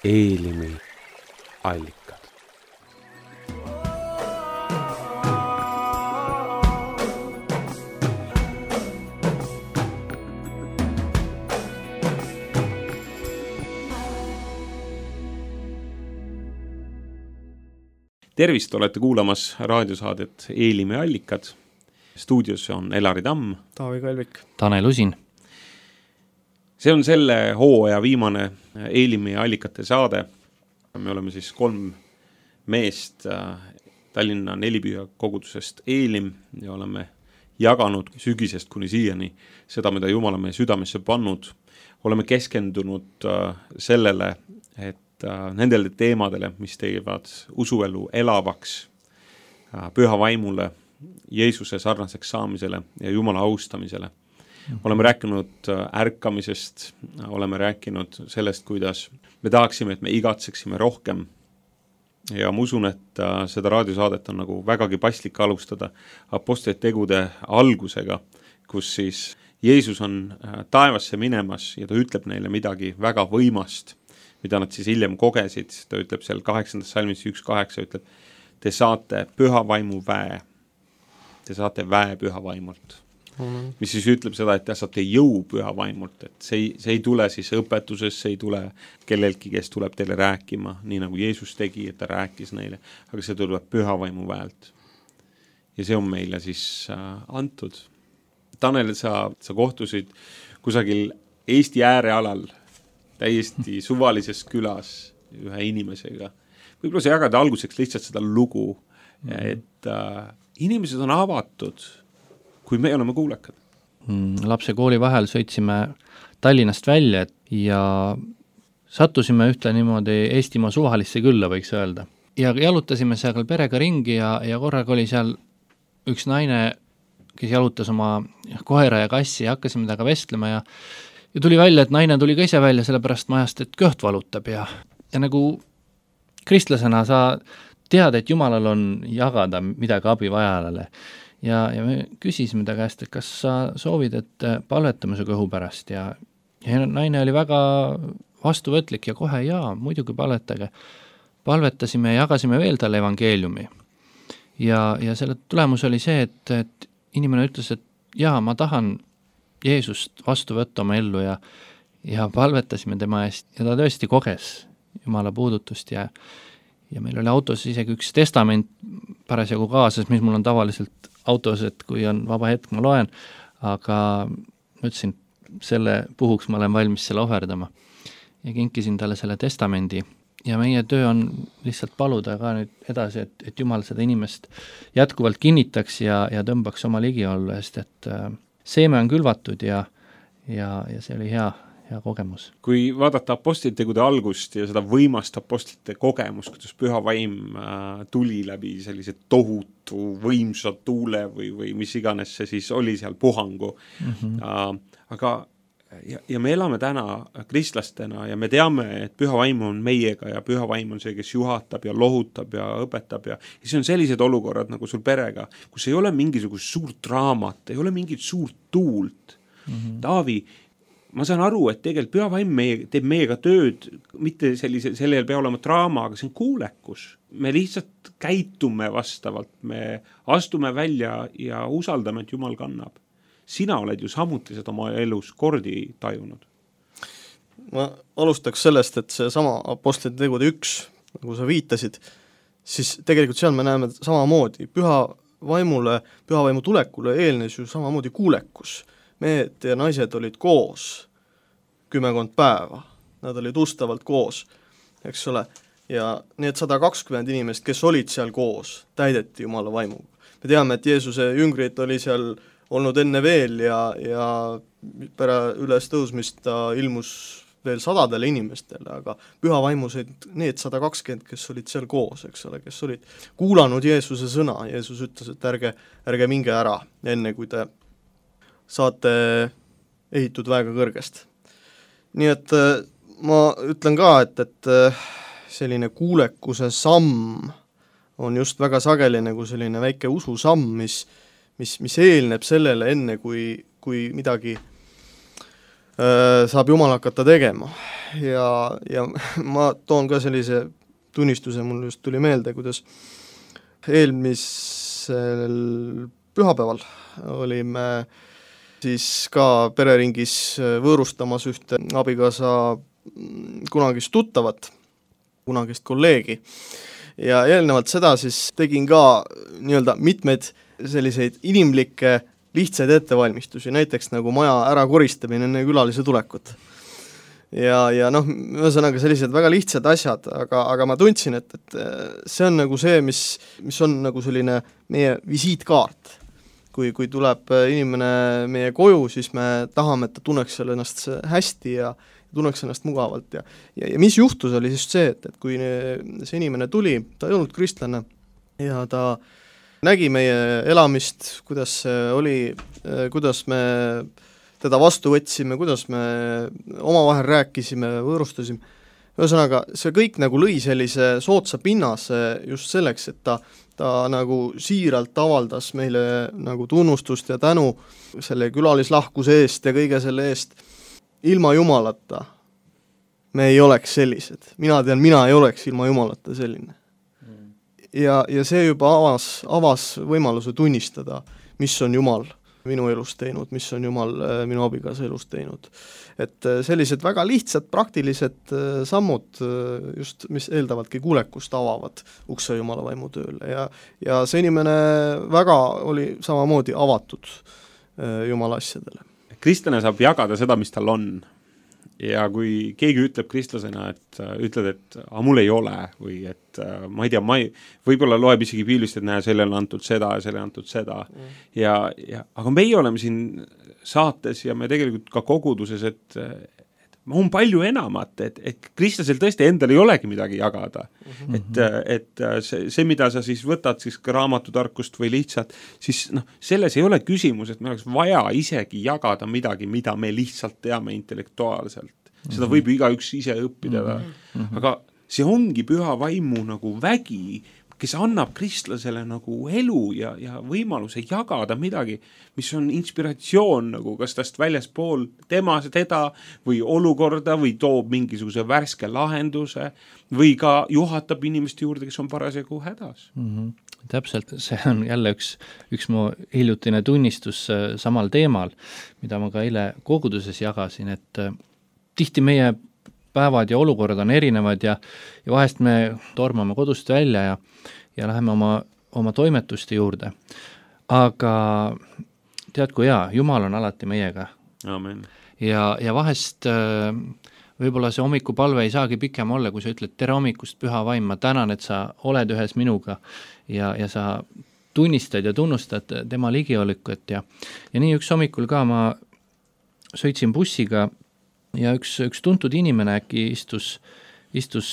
Eelimi allikad. Tervist, olete kuulamas raadiosaadet Eelimi allikad. Stuudios on Elari Tamm, Taavi Kalvik, Tanel Usin. See on selle hooaja viimane Eelimi allikate saade. Me oleme siis 3 meest Tallinna Nelipüha kogudusest Eelim ja oleme jaganud sügisest kuni siiani seda, mida Jumal on meie südamesse pannud. Oleme keskendunud sellele, et nendele teemadele, mis teevad usuelu elavaks, püha vaimule, Jeesuse sarnaseks saamisele ja Jumala austamisele. Oleme rääkinud ärkamisest, oleme rääkinud sellest, kuidas me tahaksime, et me igatseksime rohkem. Ja ma usun, et seda raadiosaadet on nagu vägagi paslik alustada apostlite tegude algusega, kus siis Jeesus on taevasse minemas ja ta ütleb neile midagi väga võimast, mida nad siis hiljem kogesid. Ta ütleb seal 8. salmis 1.8 ütleb, te saate püha vaimu väe. Te saate väe püha vaimult. Mis siis ütleb seda, et te saate jõu püha vaimult. Et see ei tule siis õpetuses, see ei tule kellelgi, kes tuleb teile rääkima, nii nagu Jeesus tegi, et ta rääkis neile. Aga see tuleb püha vaimu väelt. Ja see on meile siis antud. Tanel, sa kohtusid kusagil Eesti äärealal, täiesti suvalises külas ühe inimesega. Võib-olla sa jagada alguseks lihtsalt seda lugu, et inimesed on avatud, kui me oleme kuulekad. Lapse kooli vahel sõitsime Tallinnast välja ja sattusime ühte niimoodi Eestimaa suvalisse külla, võiks öelda. Ja jalutasime seal perega ringi ja korraga oli seal üks naine, kes jalutas oma koera ja kassi ja hakkasime temaga vestlema ja tuli välja, et naine tuli ka ise välja sellepärast majast, et kõht valutab ja nagu kristlasena sa tead, et Jumalal on jagada midagi abivajajale. Ja me küsisime ta käest, et kas sa soovid, et palvetame su kõhu pärast ja naine oli väga vastuvõtlik ja kohe muidugi palvetage. Palvetasime ja jagasime veel talle evangeeliumi. Ja selle tulemus oli see, et inimene ütles, et ma tahan Jeesust vastu võtta oma ellu ja palvetasime tema eest ja ta tõesti koges Jumala puudutust ja meil oli autos isegi üks testament parasjagu kaasas, mis mul on tavaliselt autos, et kui on vaba hetk, ma loen, aga ma ütlesin, selle puhuks ma olen valmis selle ohverdama ja kinkisin talle selle testamendi ja meie töö on lihtsalt paluda ka nüüd edasi, et Jumal seda inimest jätkuvalt kinnitaks ja tõmbaks oma ligiollu eest, et seeme on külvatud ja see oli hea kogemus. Kui vaadata apostlite tegude algust ja seda võimast apostlite kogemust, kuidas püha vaim tuli läbi sellise tohutu võimsa tuule või mis iganes see siis oli seal puhangu. Aga ja me elame täna kristlastena ja me teame, et püha vaim on meiega ja püha vaim on see, kes juhatab ja lohutab ja õpetab ja see on sellised olukorrad nagu sul perega, kus ei ole mingisugust suurt draamat, ei ole mingit suurt tuult. Taavi, ma saan aru, et tegelikult püha vaim teeb meiega tööd, mitte sellel pea olema draama, aga see on kuulekus. Me lihtsalt käitume vastavalt, me astume välja ja usaldame, et Jumal kannab. Sina oled ju samuti seda oma elus kordi tajunud. Ma alustaks sellest, et see sama apostlite tegude 1, nagu sa viitasid, siis tegelikult seal me näeme samamoodi. Püha vaimu tulekule eelnes ju samamoodi kuulekus. Mehed ja naised olid koos 10 päeva. Nad olid ustavalt koos, eks ole. Ja need 120 inimest, kes olid seal koos, täideti Jumala vaimuga. Me teame, et Jeesuse jüngrid oli seal olnud enne veel ja üles tõusmist ta ilmus veel 100 inimestele, aga püha vaimusid need 120, kes olid seal koos, eks ole, kes olid kuulanud Jeesuse sõna. Jeesus ütles, et ärge minge ära, enne kui te saate ehitud väega kõrgest. Nii et ma ütlen ka, et selline kuulekuse samm on just väga sageli nagu selline väike ususamm, mis eelneb sellele enne, kui midagi saab Jumal hakata tegema. Ja ma toon ka sellise tunnistuse, mul just tuli meelde, kuidas eelmisel pühapäeval olime siis ka pereringis võõrustamas ühte abikaasa kunagist tuttavat, kunagist kolleegi. Ja eelnevalt seda siis tegin ka nii-öelda mitmeid selliseid inimlikke lihtsaid ettevalmistusi, näiteks nagu maja ära koristamine enne külalise tulekut. Ja noh, ühesõnaga sellised väga lihtsad asjad, aga ma tundsin, et see on nagu see, mis on nagu selline meie visiitkaart. Kui tuleb inimene meie koju, siis me tahame, et ta tunneks seal ennast hästi ja tunneks ennast mugavalt. Ja mis juhtus oli siis see, et kui see inimene tuli, ta ei olnud kristlane ja ta nägi meie elamist, kuidas see oli, kuidas me teda vastu võtsime, kuidas me omavahel rääkisime, võõrustasime. Ühesõnaga, see kõik nagu lõi sellise sootsa pinnase just selleks, et ta nagu siiralt avaldas meile nagu tunnustust ja tänu selle külalislahkuse eest ja kõige selle eest. Ilma Jumalata me ei oleks sellised. Mina ei oleks ilma Jumalata selline. Ja see juba avas võimaluse tunnistada, mis on Jumal minu elus teinud, mis on Jumal minu abikaasa elus teinud. Et sellised väga lihtsad, praktilised sammud, just mis eeldavadki kuulekust avavad ukse Jumala vaimu tööle ja see inimene väga oli samamoodi avatud Jumala asjadele. Kristlane saab jagada seda, mis tal on. Ja kui keegi ütleb kristlasena, et ütled, et mul ei ole või et ma ei tea, võib-olla loeb isegi piiblist, et näe, sellele on antud seda ja sellele on antud seda. Aga meie oleme siin saates ja me tegelikult ka koguduses, et on palju enamat, et kristlasel tõesti endal ei olegi midagi jagada. Et see, mida sa siis võtad siis raamatutarkust või lihtsalt, siis selles ei ole küsimus, et me oleks vaja isegi jagada midagi, mida me lihtsalt teame intellektuaalselt. Seda võib igaüks ise õppida. Aga see ongi püha vaimu nagu vägi, kes annab kristlasele nagu elu ja võimaluse jagada midagi, mis on inspiratsioon nagu kas tast väljaspool teda või olukorda või toob mingisuguse värske lahenduse või ka juhatab inimeste juurde, kes on parasjagu hädas. Täpselt, see on jälle üks mu hiljutine tunnistus samal teemal, mida ma ka eile koguduses jagasin, et tihti meie päevad ja olukorrad on erinevad ja vahest me tormame kodust välja ja läheme oma toimetuste juurde. Aga tead, kui hea, Jumal on alati meiega. Amen. Ja vahest võib-olla see hommikupalve ei saagi pikem olla, kui sa ütled tere hommikust, püha vaim, ma tänan, et sa oled ühes minuga ja sa tunnistad ja tunnustad tema ligiolikut ja nii üks hommikul ka ma sõitsin bussiga ja üks tuntud inimene äkki istus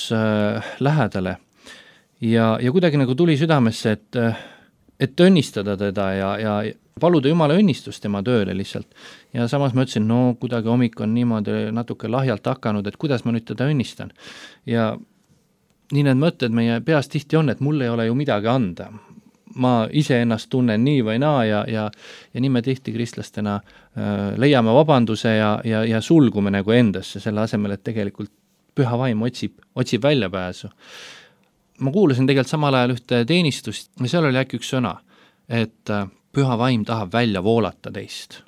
lähedale ja kuidagi nagu tuli südamesse, et õnnistada teda ja paluda Jumala õnnistust tema tööle lihtsalt. Ja samas ma ütlesin, no kuidagi hommik on niimoodi natuke lahjalt hakanud, et kuidas ma nüüd teda õnnistan. Ja nii need mõtted meie peas tihti on, et mul ei ole ju midagi anda. Ma ise ennast tunnen nii või naa ja nii me tihti kristlastena leiame vabanduse ja sulgume nagu endasse selle asemel, et tegelikult püha vaim otsib väljapääsu. Ma kuulasin tegelikult samal ajal ühte teenistust ja seal oli äkki üks sõna, et püha vaim tahab välja voolata teist.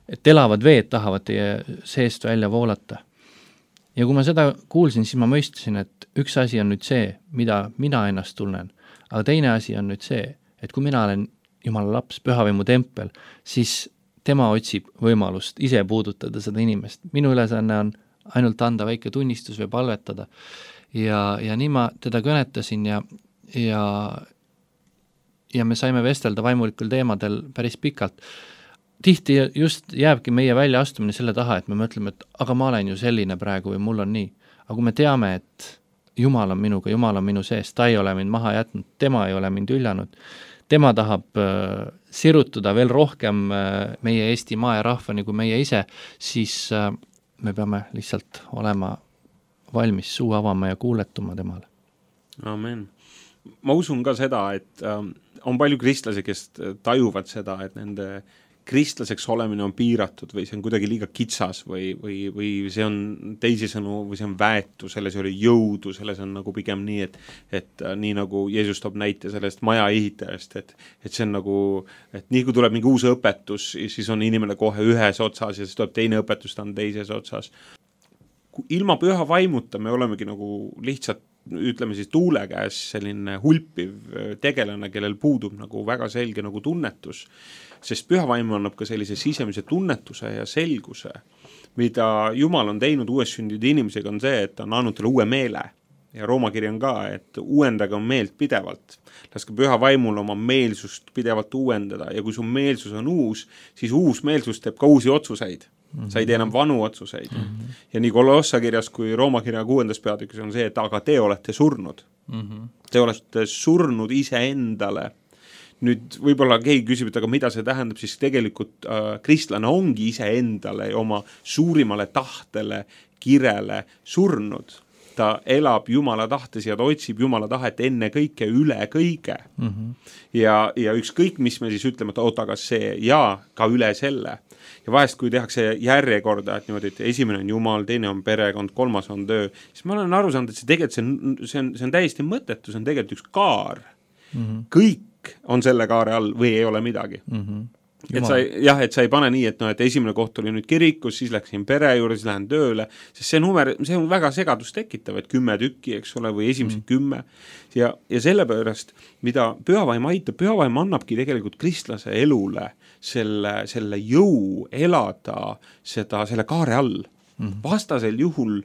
Et elavad veed tahavad teie seest välja voolata. Ja kui ma seda kuulsin, siis ma mõistasin, et üks asi on nüüd see, mida mina ennast tunnen, aga teine asi on nüüd see, et kui mina olen Jumala laps, pühavaimu tempel, siis tema otsib võimalust ise puudutada seda inimest. Minu ülesanne on ainult anda väike tunnistus või palvetada. Ja nii ma teda kõnetasin ja me saime vestelda vaimulikul teemadel päris pikalt. Tihti just jääbki meie väljaastumine selle taha, et me mõtleme, et aga ma olen ju selline praegu või mul on nii. Aga kui me teame, et Jumal on minuga, Jumal on minu sees, ta ei ole mind maha jätnud, tema ei ole mind üljanud, tema tahab sirutuda veel rohkem meie Eesti maa ja rahvani kui meie ise, siis me peame lihtsalt olema valmis suu avama ja kuuletuma temale. Amen. Ma usun ka seda, et on palju kristlasi, kes tajuvad seda, et nende kristlaseks olemine on piiratud või see on kuidagi liiga kitsas või see on teisisõnu või see on väetu, selles ei ole jõudu, selles on nagu pigem nii, et nii nagu Jeesus toob näite sellest maja ehitajast, et see on nagu, et nii kui tuleb mingi uus õpetus, siis on inimene kohe ühes otsas ja siis tuleb teine õpetus, ta on teises otsas. Ilma püha vaimuta me olemegi nagu lihtsalt ütleme siis tuule käes selline hulpiv tegelane, kellel puudub nagu väga selge nagu tunnetus, sest püha vaim annab ka sellise sisemise tunnetuse ja selguse, mida Jumal on teinud uuessündinud inimesega on see, et ta on andnud talle uue meele ja Rooma kiri on ka, et uuendage on meelt pidevalt, laske püha vaimul oma meelsust pidevalt uuendada ja kui su meelsus on uus, siis uus meelsus teeb ka uusi otsuseid. Sa ei tee enam vanu otsuseid. Ja nii Kolossa kirjas kui Rooma kirja 6. peatükis on see, et aga te olete surnud. Te olete surnud iseendale. Nüüd võib-olla keegi küsib, et aga mida see tähendab, siis tegelikult kristlane ongi iseendale ja oma suurimale tahtele, kirele surnud. Ta elab Jumala tahtes ja ta otsib Jumala tahet enne kõike üle kõige. Ja ükskõik, mis me siis ütleme, et oota, aga see ja ka üle selle. Ja vahest, kui tehakse järjekorda, et niimoodi, et esimene on Jumal, teine on perekond, kolmas on töö, siis ma olen aru saanud, et see tegelikult see on täiesti mõttetu, see on tegelikult üks kaar. Kõik on selle kaare all või ei ole midagi. Et sa ei pane nii, et esimene koht oli nüüd kirikus, siis läksin pere juurde, siis lähen tööle, sest see on väga segadust tekitav, et 10 tükki, eks ole, või esimesed 10. Ja sellepärast, mida pühavaim aitab, pühavaim annabki tegelikult kristlase elule selle jõu elada selle kaare all. Vastasel juhul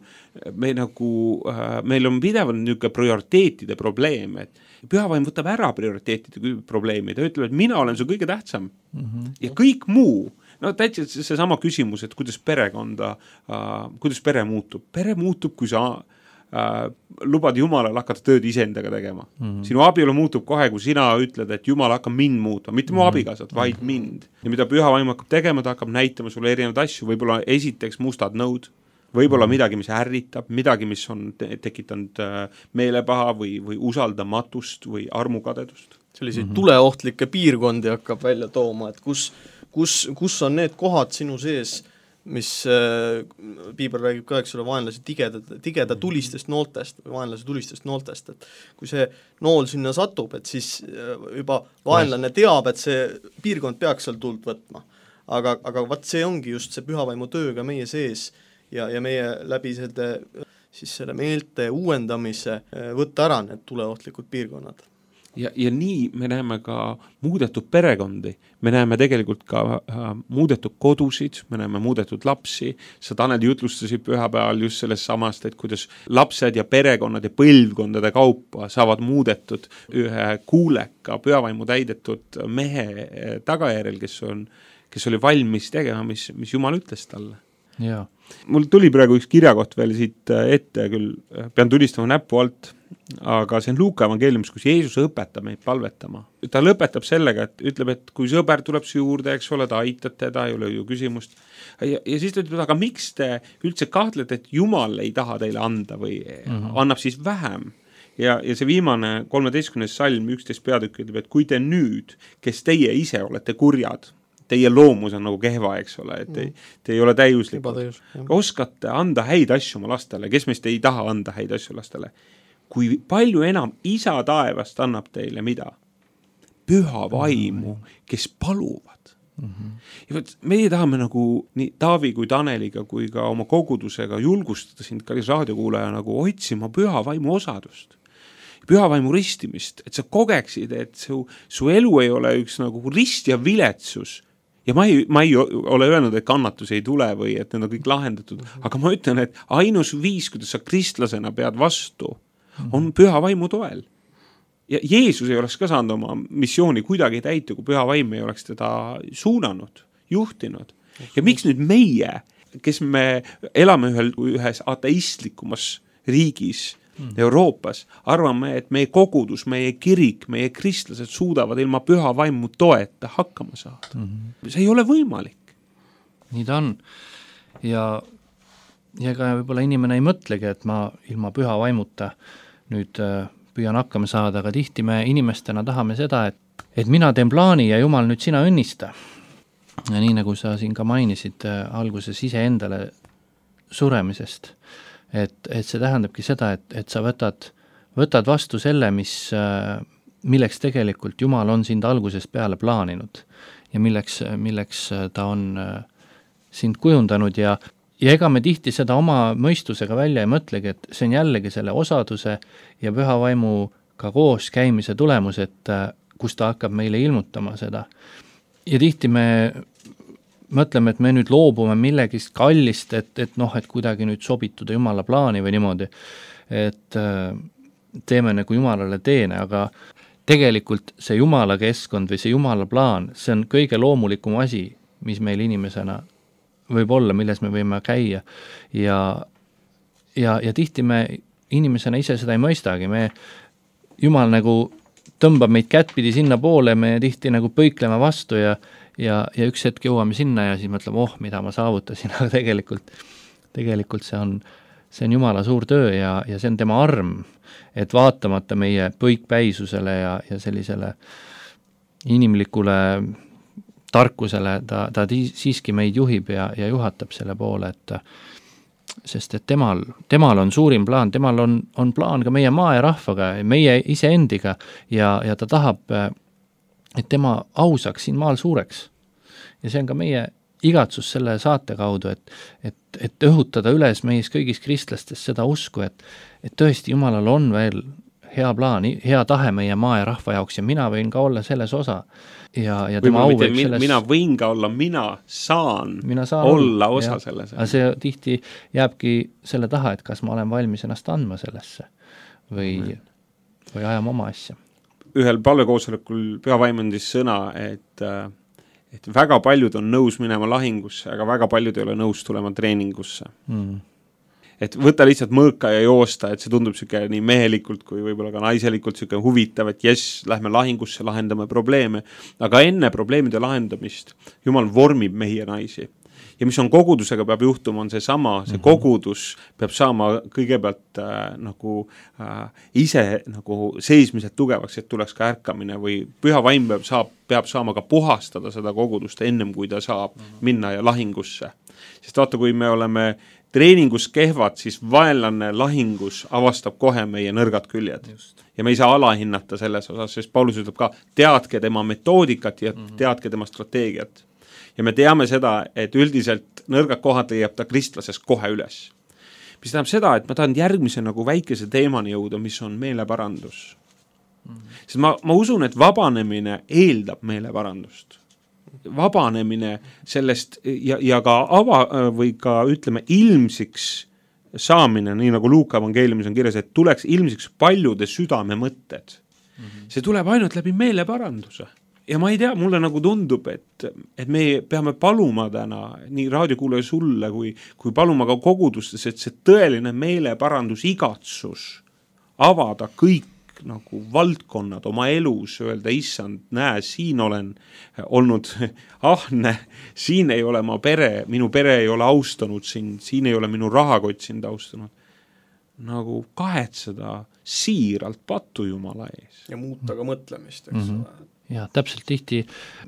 meil on pidevalt niisugune prioriteetide probleem, et pühavaim võtab ära prioriteetide probleemi, ta ütleb, et mina olen su kõige tähtsam ja kõik muu, täitsa see sama küsimus, et kuidas pere muutub. Pere muutub, kui sa lubad Jumalal hakata tööd iseendaga tegema. Sinu abielu muutub kohe, kui sina ütled, et Jumal hakkab mind muutma, mitte mu abigasad, vaid mind. Ja mida pühavaim hakkab tegema, ta hakkab näitama sulle erinevaid asju, võib-olla esiteks mustad nõud, võib-olla midagi, mis ärritab, midagi, mis on tekitanud meelepaha või usaldamatust või armukadedust. Selliseid tuleohtlikke piirkondi hakkab välja tooma, et kus on need kohad sinu sees, mis Piibel räägib ka, eks ole, vaenlase tigeda tulistest nooltest või vaenlase tulistest nooltest, et kui see nool sinna satub, et siis juba vaenlane teab, et see piirkond peaks seal tuld võtma. Aga vaat see ongi just see pühavaimu tööga meie sees ja meie läbi selle meelte uuendamise võtta ära need tuleohtlikud piirkonnad. Ja nii me näeme ka muudetud perekondi, me näeme tegelikult ka muudetud kodusid, me näeme muudetud lapsi, sa Tanel jutlustasid pühapäeval just sellest samast, et kuidas lapsed ja perekonnad ja põlvkondade kaupa saavad muudetud ühe kuuleka pühavaimu täidetud mehe tagajärjel, kes oli valmis tegema, mis Jumal ütles talle. Ja. Mul tuli praegu üks kirjakoht veel siit ette, küll pean tulistama näppu alt, aga see on Luuka evangeeliumis, kus Jeesus õpetab meid palvetama. Ta lõpetab sellega, et ütleb, et kui sõber tuleb su juurde, eks ole, ta aitab teda, ei ole ju küsimust. Ja siis ta ütleb, aga miks te üldse kahtlete, et Jumal ei taha teile anda või annab siis vähem? Ja see viimane 13. salm 11 peatükk ütleb, et kui te nüüd, kes teie ise olete kurjad, teie loomus on nagu kehva, eks ole, et te ei ole täiuslikud. Oskate anda häid asju oma lastele, kes meist ei taha anda häid asju lastele. Kui palju enam isa taevast annab teile mida? Püha vaimu, kes paluvad. Ja võt, meie tahame nagu nii Taavi kui Taneliga kui ka oma kogudusega julgustada sind kallis raadiokuulaja nagu otsima püha vaimu osadust. Püha vaimu ristimist, et sa kogeksid, et su elu ei ole üks nagu rist ja viletsus. Ja ma ei ole öelnud, et kannatus ei tule või et need on kõik lahendatud, aga ma ütlen, et ainus viis, kuidas sa kristlasena pead vastu, on püha vaimu toel. Ja Jeesus ei oleks ka saanud oma missiooni kuidagi täita, kui püha vaim ei oleks teda suunanud, juhtinud. Ja miks nüüd meie, kes me elame ühes ateistlikumas riigis, Euroopas, arvame, et meie kogudus, meie kirik, meie kristlased suudavad ilma püha vaimu toeta hakkama saada. See ei ole võimalik. Nii ta on. Ja ka võib-olla inimene ei mõtlegi, et ma ilma püha vaimuta nüüd püüan hakkama saada, aga tihti me inimestena tahame seda, et mina teen plaani ja Jumal nüüd sina õnnista. ja nii nagu sa siin ka mainisid alguses iseendale suremisest, et see tähendabki seda, et sa võtad vastu selle, milleks tegelikult Jumal on sind algusest peale plaaninud ja milleks ta on sind kujundanud ja ega me tihti seda oma mõistusega välja ei mõtlegi, et see on jällegi selle osaduse ja püha vaimuga koos käimise tulemus, et kus ta hakkab meile ilmutama seda. Ja tihti me mõtleme, et me nüüd loobume millegist kallist, et kuidagi nüüd sobituda Jumala plaani või niimoodi, et teeme nagu Jumalale teene, aga tegelikult see Jumala keskkond või see Jumala plaan, see on kõige loomulikum asi, mis meil inimesena võib olla, milles me võime käia ja tihti me inimesena ise seda ei mõistagi, Jumal nagu tõmbab meid kättpidi sinna poole, me tihti nagu põikleme vastu ja üks hetk jõuame sinna ja siis mõtleme, mida ma saavutasin, aga tegelikult see on Jumala suur töö ja see on tema arm, et vaatamata meie põikpäisusele ja sellisele inimlikule tarkusele, ta siiski meid juhib ja juhatab selle poole, sest et temal on suurim plaan, temal on plaan ka meie maa ja rahvaga, meie iseendiga ja ta tahab, et tema ausaks siin maal suureks. Ja see on ka meie igatsus selle saate kaudu, et õhutada üles meis kõigis kristlastes seda usku, et tõesti Jumalal on veel hea plaan, hea tahe meie maa ja rahva jaoks ja mina võin ka olla selles osa. Ja tema au võib selles... Mina võin ka olla, mina saan olla osa selles. Aga see tihti jääbki selle taha, et kas ma olen valmis ennast andma sellesse või ajama oma asja. Ühel palvekoosolekul Püha Vaim andis sõna, et väga paljud on nõus minema lahingusse, aga väga paljud ei ole nõus tulema treeningusse. Et võtta lihtsalt mõõka ja joosta, et see tundub süke nii mehelikult kui võib-olla ka naiselikult süke huvitav, et lähme lahingusse, lahendame probleeme, aga enne probleemide lahendamist Jumal vormib mehi ja naisi. Ja mis on kogudusega peab juhtuma, on see kogudus peab saama kõigepealt ise seismised tugevaks, et tuleks ka ärkamine või Püha Vaim peab saama ka puhastada seda kogudust ennem, kui ta saab minna ja lahingusse. Sest vaata, kui me oleme treeningus kehvad, siis vaenlane lahingus avastab kohe meie nõrgad küljed. Just. Ja me ei saa alahinnata selles osas, sest Paulus ütleb ka, teadke tema metoodikat ja teadke tema strateegiat. Ja me teame seda, et üldiselt nõrgad kohad leiab ta kristlases kohe üles. Mis tähendab seda, et ma tahan järgmise väikese teemani jõuda, mis on meeleparandus. Sest ma usun, et vabanemine eeldab meeleparandust. Vabanemine sellest ja ka või ka ütleme ilmsiks saamine, nii nagu Luuka evangeeliumis on kirjas, et tuleks ilmsiks paljude südame mõtted. See tuleb ainult läbi meeleparanduse. Ja ma ei tea, mulle tundub, et me peame paluma täna nii raadiokuulaja sulle kui paluma ka kogudustes, et see tõeline meeleparandus igatsus avada kõik valdkonnad oma elus, öelda, issand, näe, siin olen olnud ahne, siin ei ole minu pere ei ole austanud siin ei ole minu rahakott sind austanud. Kahetseda siiralt patu Jumala ees. Ja muuta ka mõtlemist, eks ole. Ja täpselt tihti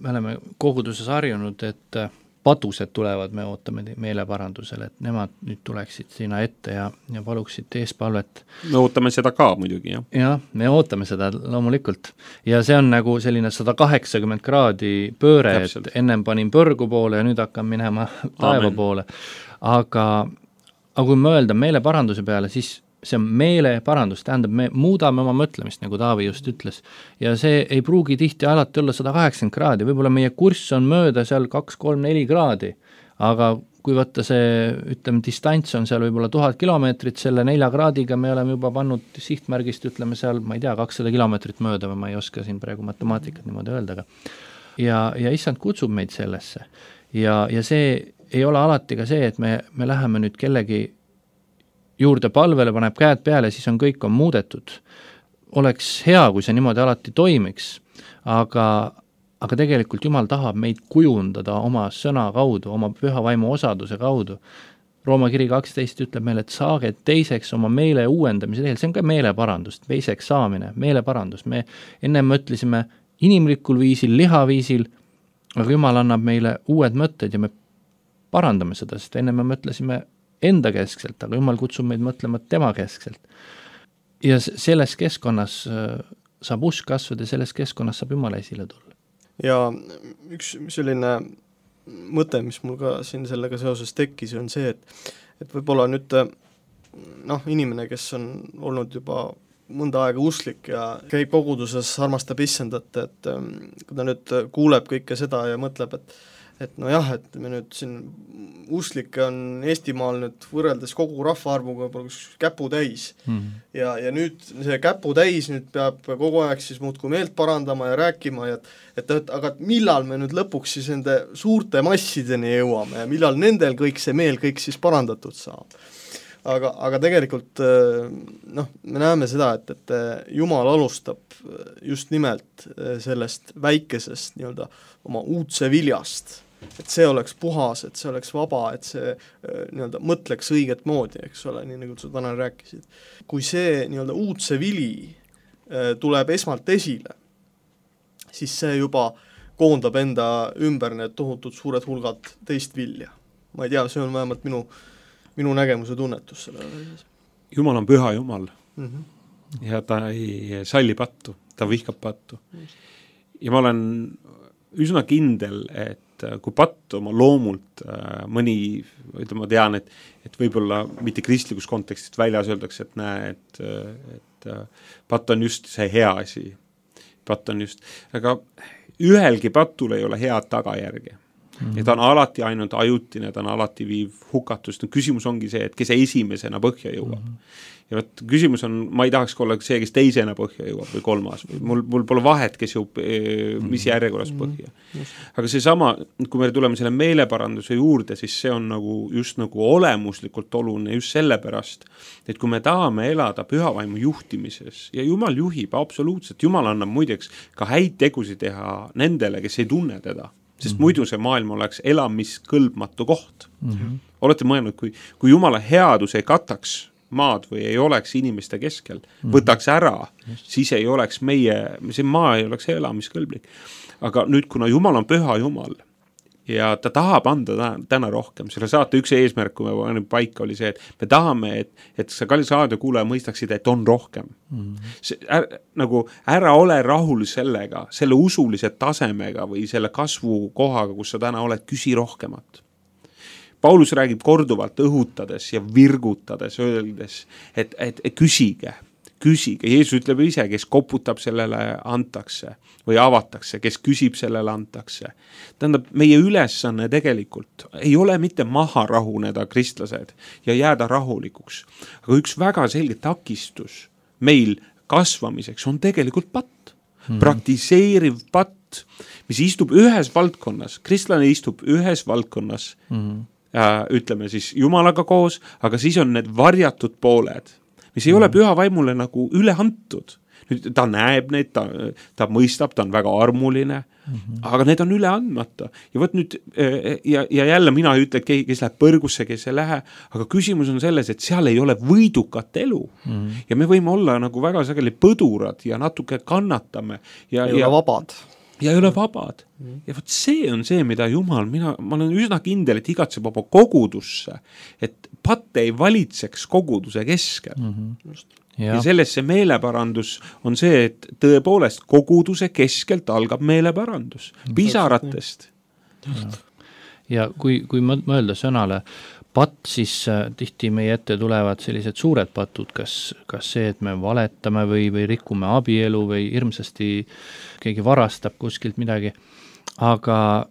me oleme koguduses harjunud, et patused tulevad, me ootame meeleparandusele, et nemad nüüd tuleksid sinna ette ja paluksid eespalvet. Me ootame seda ka muidugi, jah. Jah, me ootame seda loomulikult. Ja see on selline 180 kraadi pööre, täpselt. Et ennem panin põrgu poole ja nüüd hakkan minema taeva poole. Aga kui mõelda meeleparanduse peale, siis see on meeleparandus, tähendab, me muudame oma mõtlemist, nagu Taavi just ütles, ja see ei pruugi tihti alati olla 180 kraadi, võib-olla meie kurss on mööda seal 2, 3, 4 kraadi, aga kui võtta see, ütleme, distants on seal võib-olla 1000 kilomeetrit, selle 4 kraadiga me oleme juba pannud sihtmärgist, ütleme seal, ma ei tea, 200 kilomeetrit mööda või ma ei oska siin praegu matemaatikat niimoodi öelda, ja issand kutsub meid sellesse. Ja see ei ole alati ka see, et me läheme nüüd kellegi juurde palvele, paneb käed peale, siis kõik on muudetud. Oleks hea, kui see niimoodi alati toimiks, aga tegelikult Jumal tahab meid kujundada oma sõna kaudu, oma püha vaimu osaduse kaudu. Rooma kiri 12 ütleb meile, et saage teiseks oma meele uuendamise teel, see on ka meeleparandus, teiseks saamine, meeleparandus. Me ennem mõtlesime inimlikul viisil, lihaviisil, aga Jumal annab meile uued mõtted ja me parandame seda, sest enne me mõtlesime enda keskselt, aga Jumal kutsub meid mõtlema tema keskselt. Ja selles keskkonnas saab usk kasvada ja selles keskkonnas saab Jumal esile tulla. Ja üks selline mõte, mis mul ka siin sellega seoses tekkis, on see, et võib-olla nüüd inimene, kes on olnud juba mõnda aega usklik ja käib koguduses, armastab issandat, et kui ta nüüd kuuleb kõike seda ja mõtleb, et nojah, et me nüüd siin usklikke on Eestimaal nüüd võrreldes kogu rahvaarvuga käpu täis. Ja nüüd see käpu täis nüüd peab kogu aeg siis muudkui meelt parandama ja rääkima, aga millal me nüüd lõpuks siis nende suurte massideni jõuame ja millal nendel kõik see meel kõik siis parandatud saab. Aga tegelikult me näeme seda, et Jumal alustab just nimelt sellest väikesest nii-öelda oma uudse viljast, et see oleks puhas, et see oleks vaba, et see nii-öelda mõtleks õiget moodi, eks ole, nii nagu sa täna rääkisid. Kui see nii-öelda uudse vili tuleb esmalt esile, siis see juba koondab enda ümber need tohutud suured hulgad teist vilja. Ma ei tea, see on vähemalt minu nägemuse tunnetus sellele. Jumal on püha Jumal ja ta ei salli pattu, ta vihkab pattu. Ja ma olen üsna kindel, et kui patt oma loomult mõni, ma tean, et võib-olla mitte kristlikus kontekstist väljas öeldakse, et näe, et patt on just see hea asi. Patt on just, aga ühelgi patul ei ole head tagajärgi. Ja ta on alati ainult ajutine, ta on alati viiv hukatust. Küsimus ongi see, et kes esimesena põhja jõuab. Ja võt, küsimus on, ma ei tahaks olla see, kes teisena põhja jõuab või kolmas. Mul pole vahet, kes jõuab, mis järjekorras põhja. Aga see sama, kui me tuleme selle meeleparanduse juurde, siis see on just olemuslikult oluline just sellepärast, et kui me tahame elada pühavaimu juhtimises ja Jumal juhib absoluutselt, Jumal annab muideks ka häid tegusid teha nendele, kes ei tunne teda. Sest muidu see maailm oleks elamiskõlbmatu koht. Olete mõelnud, kui Jumala headus ei kataks maad või ei oleks inimeste keskel, võtaks ära, siis ei oleks see maa ei oleks elamiskõlblik. Aga nüüd, kuna Jumal on püha Jumal ja ta tahab anda täna rohkem, selle saate üks eesmärk, kui me panime paika, oli see, et me tahame, et sa kallis raadiokuulaja mõistaksid, et on rohkem. Ära ole rahul sellega, selle usulise tasemega või selle kasvu kohaga, kus sa täna oled, küsi rohkemat. Paulus räägib korduvalt õhutades ja virgutades, öeldes, et küsige. Jeesus ütleb ise, kes koputab sellele antakse või avatakse, kes küsib sellele antakse. Tähendab, meie ülesanne tegelikult ei ole mitte maha rahuneda kristlased ja jääda rahulikuks. Aga üks väga selge takistus meil kasvamiseks on tegelikult patt. Praktiseeriv patt, mis istub ühes valdkonnas. Kristlane istub ühes valdkonnas, ütleme siis Jumalaga koos, aga siis on need varjatud pooled, mis ei ole püha vaimule üle antud. Nüüd ta näeb neid, ta mõistab, ta on väga armuline, aga need on üle andmata. Ja võt nüüd, ja jälle mina ei ütle, et kes läheb põrgusse, kes ei lähe, aga küsimus on selles, et seal ei ole võidukat elu. Ja me võime olla väga sageli põdurad ja natuke kannatame. Ja ei ole vabad. Ja ei ole vabad. Ja võt see on see, mida Jumal, ma olen üsna kindel, et igatseb oma kogudusse, et patt ei valitseks koguduse keskel. Ja selles see meeleparandus on see, et tõepoolest koguduse keskelt algab meeleparandus. Pisaratest. Ja kui mõelda sõnale patt, siis tihti meie ette tulevad sellised suured patud, kas see, et me valetame või rikume abielu või hirmsasti keegi varastab kuskilt midagi. Aga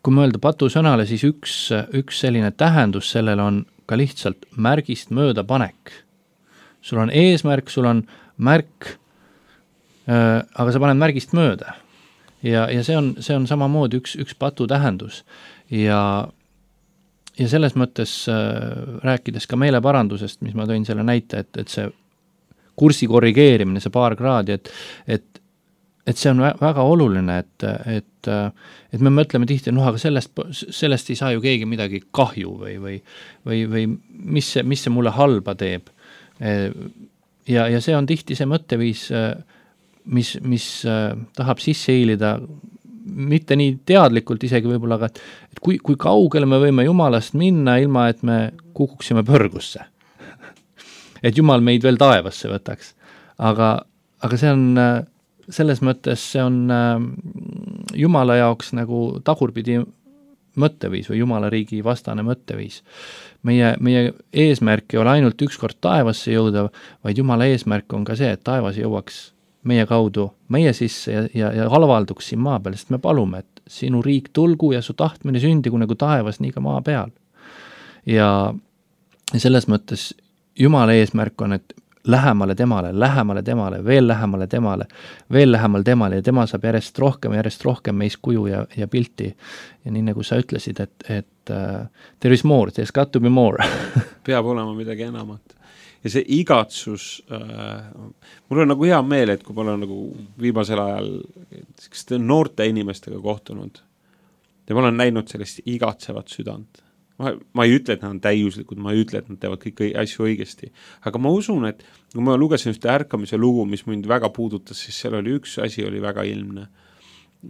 kui mõelda patu sõnale, siis üks selline tähendus sellele on ka lihtsalt märgist mööda panek. Sul on eesmärk, sul on märk, aga sa paned märgist mööda. Ja see on samamoodi üks patu tähendus. Ja selles mõttes rääkides ka meeleparandusest, mis ma tõin selle näite, et see kursi korrigeerimine, see paar kraadi, et see on väga oluline, et me mõtleme tihti, aga sellest ei saa ju keegi midagi kahju või mis see mulle halba teeb. Ja see on tihti see mõtteviis, mis tahab sisse hiilida mitte nii teadlikult isegi võib-olla, aga et kui kaugele me võime Jumalast minna, ilma et me kukuksime põrgusse. Et Jumal meid veel taevasse võtaks. Aga see on, selles mõttes see on Jumala jaoks nagu tagurpidi mõtteviis või Jumala riigi vastane mõtteviis. Meie eesmärk ei ole ainult ükskord taevasse jõuda, vaid Jumala eesmärk on ka see, et taevas jõuaks meie kaudu, meie sisse ja halvalduks siin maa peal, sest me palume, et sinu riik tulgu ja su tahtmine sündigu nagu taevas, nii ka maa peal. Ja selles mõttes Jumala eesmärk on, et lähemale temale, veel lähemale temale ja tema saab järjest rohkem meis kuju ja pilti. Ja nii nagu sa ütlesid, et there is more, there's got to be more. Peab olema midagi enamat. Ja see igatsus, mul on nagu hea meel, et kui ma olen nagu viimasel ajal noorte inimestega kohtunud ja ma olen näinud sellist igatsevat südant. Ma ei ütle, et nad on täiuslikud, ma ei ütle, et nad teevad kõik asju õigesti. Aga ma usun, et kui ma lugesin ühte ärkamise lugu, mis mind väga puudutas, siis seal oli üks asi oli väga ilmne.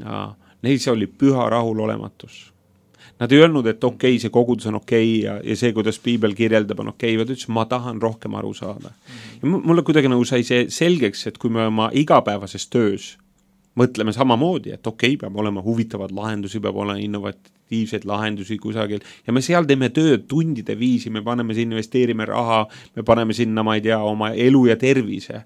Ja neil see oli püha rahulolematus. Nad ei öelnud, et okei, see kogudus on okei ja see, kuidas Piibel kirjeldab, on okei, vaid ütles, ma tahan rohkem aru saada. Ja mulle kuidagi nagu sai see selgeks, et kui me oma igapäevases töös mõtleme samamoodi, et okei, peab olema huvitavad lahendusi, peab olema innovatiivseid lahendusi kusagil ja me seal teeme tööd tundide viisi, me paneme siin, investeerime raha, me paneme sinna, ma ei tea, oma elu ja tervise.